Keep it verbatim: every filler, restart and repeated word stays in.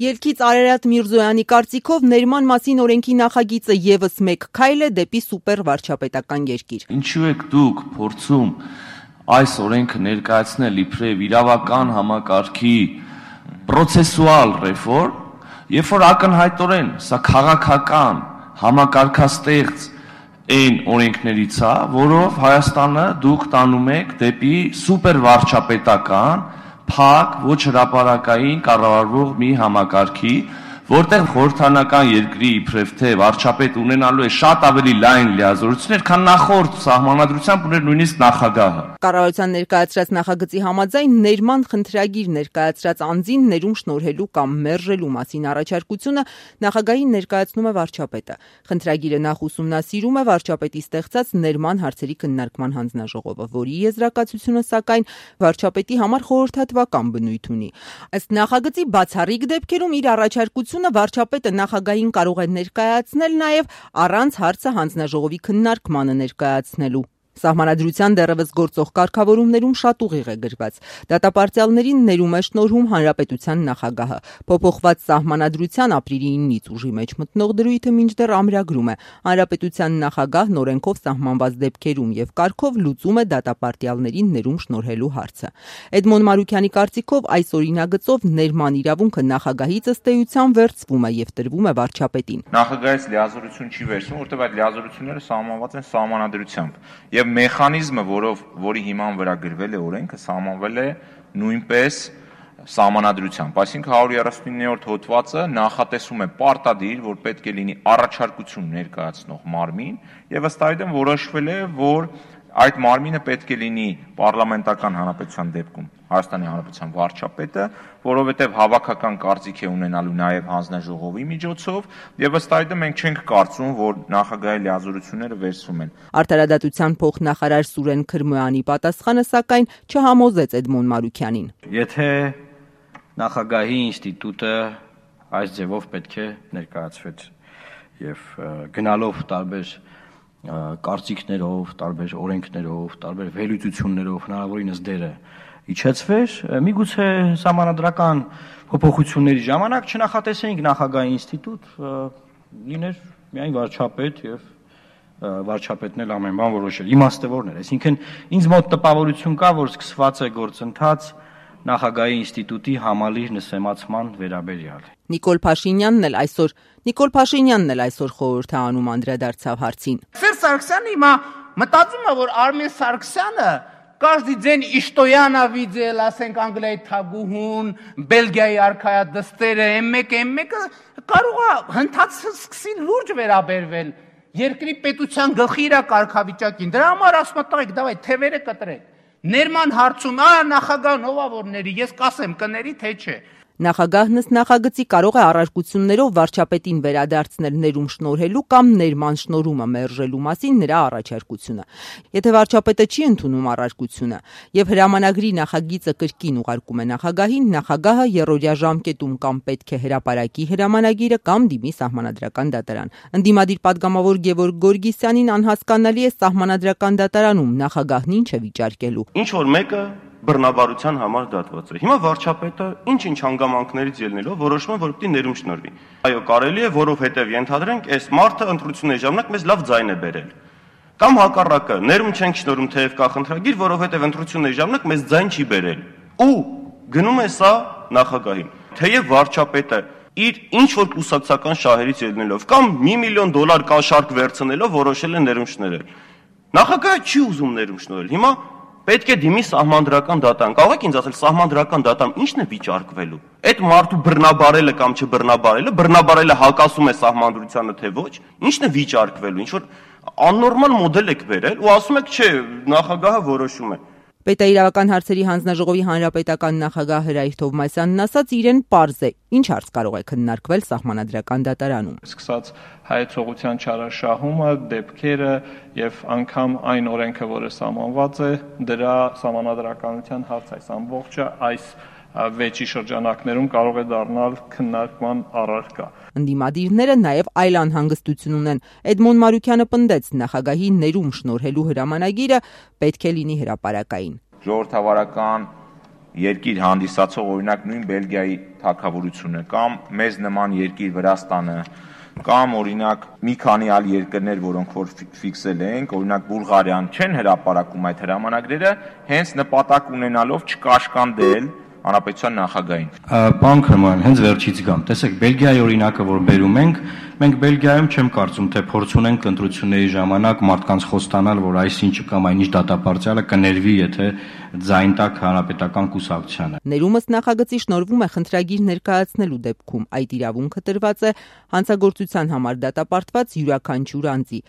Ելքից Արարատ Միրզոյանի կարծիքով ներման մասին օրենքի նախագիծը ևս մեկ քայլ է դեպի սուպեր վարչապետական երկիր։ Ինչու եք դուք փորձում այս օրենքը ներկայացնել իբրև իրավական համակարգի պրոցեսուալ ռեֆորմ, երբ որ ակնհայտորեն սա քաղաքական համակարգաստեղծ այն օրենքներից է, որով Հայաստանը դուք տանում եք դեպի սուպեր վարչապետական փակ, ոչ հրապարակային կառավարվող մի համակարգի, որտեղ խորհրդանական երկրի իբրև թե վարչապետ ունենալու է շատ ավելի լայն լիազորություններ, քան նախորդ սահմանադրությամբ ուներ նույնիսկ նախագահը։ Կառավարության ներկայացրած նախագծի համաձայն ներման խնդրագիր ներկայացրած անձին ներում շնորհելու կամ մերժելու մասին առաջարկությունը նախագահին ներկայացնում է վարչապետը։ Խնդրագիրը նախ ուսումնասիրում է վարչապետի ստեղծած ներման հարցերի քննարկման հանձնաժողովը, որի եզրակացությունը սակայն վարչապետի համար խորհրդատվական բնույթ ունի։ Ըստ նախագծի բացառիկ դեպքերում իր առաջարկությունը վարչապետը նախագահին կարող է ներկայացնել նաև առանց հարցը հանձնաժողովի քննարկմանը ներկայացնելու։ Սահմանադրության դեռևս գործող կարգավորումներում շատ ուղիղ է գրված։ Դատապարտյալներին ներում է շնորհում հանրապետության նախագահը։ Փոփոխված սահմանադրության ապրիլի իննից ուժի մեջ մտնող դրույթը մինչդեռ ամրագրում է։ Հանրապետության նախագահն օրենքով սահմանված դեպքերում եւ կարգով լուծում է դատապարտյալներին ներում շնորհելու հարցը։ Էդմոն Մարուքյանի կարծիքով այս օրինագծով ներման իրավունքը նախագահից ըստ էության վերցվում է եւ տրվում է վարչապետին։ Նախագահից լիազորություն չի վերցվում, որտեղ այդ լիազորությունները սահմանված են սահմանադրությամբ։ Եվ մեխանիզմը, որով որի հիման վրա գրվել է օրենքը, սահմանվել է նույնպես սահմանադրությամբ, այսինքն հարյուր երեսունիններորդ հոդվածը նախատեսում է պարտադիր, որ պետք է լինի առաջարկություն ներկայացնող մարմին, եւ ըստ այդմ որոշվել է, որ այդ մարմինը պետք է լինի պարլամենտական հանրապետության դեպքում Հայաստանի Հանրապետության վարչապետը, որովհետև հավաքական կարծիք է ունենալու նաև հանձնաժողովի միջոցով, եւ ըստ այդմ մենք չենք կարծում, որ նախագահի լիազորությունները վերցվում են։ Արտարադատության փոխնախարար Սուրեն Քրմոյանի պատասխանը սակայն չհամոզեց Էդմոն Մարուքյանին։ Եթե նախագահի ինստիտուտը այս ձևով պետք է ներկայացվեց եւ գնալով տարբեր կարծիքներով, տարբեր օրենքներով, տարբեր վերլուծություններով հնարավորինս դերը իջեցվեր, միգուցե սահմանադրական փոփոխությունների ժամանակ չնախատեսեինք նախագահի ինստիտուտ, լիներ միայն վարչապետ եւ վարչապետն էլ ամեն բան որոշել։ Իմաստը որն էր, այսինքն ինձ մոտ տպավորություն կա, որ սկսված է գործընթաց նախագահի ինստիտուտի համալիր նսեմացման վերաբերյալ։ Նիկոլ Փաշինյանն էլ այսօր Նիկոլ Փաշինյանն էլ այսօր խորհուրդ է անում անդրադարձավ հարցին։ Սերժ Սարգսյանը հիմա մտածում է, որ Արմեն Սարգսյանը каждый день Իշտոյանը վիդել, ասենք Անգլիայի թագուհուն, Բելգիայի արքայա դստերը, էմ մեկ էմ մեկը կարող է հնդածը սկսի լուրջ վերաբերվել երկրի պետության գլխի իր կարգավիճակին։ Դրա համար ասում եմ, տղեկ, դավայ թևերը կտրեք։ Ներման հարցում, ա նախագահն ով է որ ների, ես կասեմ կների թե չէ։ Նախագահն ըստ նախագծի կարող է առարկություններով վարչապետին վերադարձնել ներում շնորհելու կամ ներման շնորհումը մերժելու մասին նրա առաջարկությունը։ Եթե վարչապետը չի ընդունում առարկությունը եւ հրամանագրի նախագիծը կրկին ուղարկում է նախագահին, նախագահը երրորդյա ժամկետում կամ պետք է հրապարակի հրամանագիրը կամ դիմի սահմանադրական դատարան։ Ընդդիմադիր падգամավոր Գևորգ Գորգիսյանին անհասկանալի է սահմանադրական դատարանում նախագահն ինչ է վիճարկելու։ Ինչ որ մեկը բռնաբարության համար դատված է։ Հիմա վարչապետը ինչ-ինչ հանգամանքներից ելնելով որոշում է, որ պետք է ներում շնորհվի։ Այո, կարելի է, որովհետև ենթադրենք, այս մարդը ընտրությունների ժամանակ մեզ լավ ձայն է բերել։ Կամ հակառակը, ներում չենք շնորհում, թեև կա խնդրագիր, որովհետև ընտրությունների ժամանակ մեզ ձայն չի բերել։ Ու գնում է սա նախագահին։ Թեև վարչապետը իր ինչ որ կուսակցական շահերից ելնելով կամ մի միլիոն դոլար կաշառք վերցնելով որոշել է ներում շնորհել։ Նախագահը չի ուզում ներում շնորհել։ Հիմա պետք է դիմի սահմանադրական դատարան։ Կարող եք ինձ ասել, սահմանադրական դատարան ի՞նչն է վիճարկվելու։ Այդ մարդու բռնաբարելը կամ չբռնաբարելը, բռնաբարելը հակասում է սահմանադրությանը թե ոչ, ի՞նչն է վիճարկվելու։ Ինչ որ աննորմալ մոդել եք վերել ու ասում եք, չէ, նախագահը որոշում է։ Պետաիրավական հարցերի հանձնաժողովի հանրապետական նախագահ Հրայր Թովմասյանն ասաց, իրեն պարզ է, ինչ հարց կարող է քննարկվել սահմանադրական դատարանում։ Սկսած հայեցողության չարաշահումը, դեպքերը եւ անգամ այն օրենքը, որը սահմանված է, դրա սահմանադրականության հարց այս ամբողջը այս վեճի շրջանակներում կարող է դառնալ քննարկման առարկա։ Ընդդիմադիրները նաև այլ անհանգստություն ունեն։ Էդմոն Մարուքյանը պնդեց, նախագահի ներում շնորհելու հրամանագիրը պետք է լինի հրապարակային։ Ժողովրդավարական երկիր հանդիսացող օրինակ նույն Բելգիայի թագավորությունը կամ մեզ նման երկիր Վրաստանը կամ օրինակ մի քանի այլ երկրներ, որոնք որ ֆիքսել ենք, օրինակ Բուլղարիան չեն հրապարակում այդ հրամանագրերը, հենց նպատակ ունենալով չկաշկանդել հանրապետության նախագահին։ Պարոն Քրոմյան, հենց վերջից գամ։ Տեսեք, Բելգիայի օրինակը, որ բերում ենք, մենք Բելգիայում չեմ կարծում, թե փորձ ունենք ընտրությունների ժամանակ մարդկանց խոստանալ, որ այսինչ կամ այնինչ դատապարտյալը կներվի, եթե ձայն տակ հանրապետական կուսակցությանը։ Ներումս նախագծի շնորհվում է խնդրագիր ներկայացնելու դեպքում այդ իրավունքը տրված է հանցագործության համար դատապարտված յուրաքանչյուր անձի,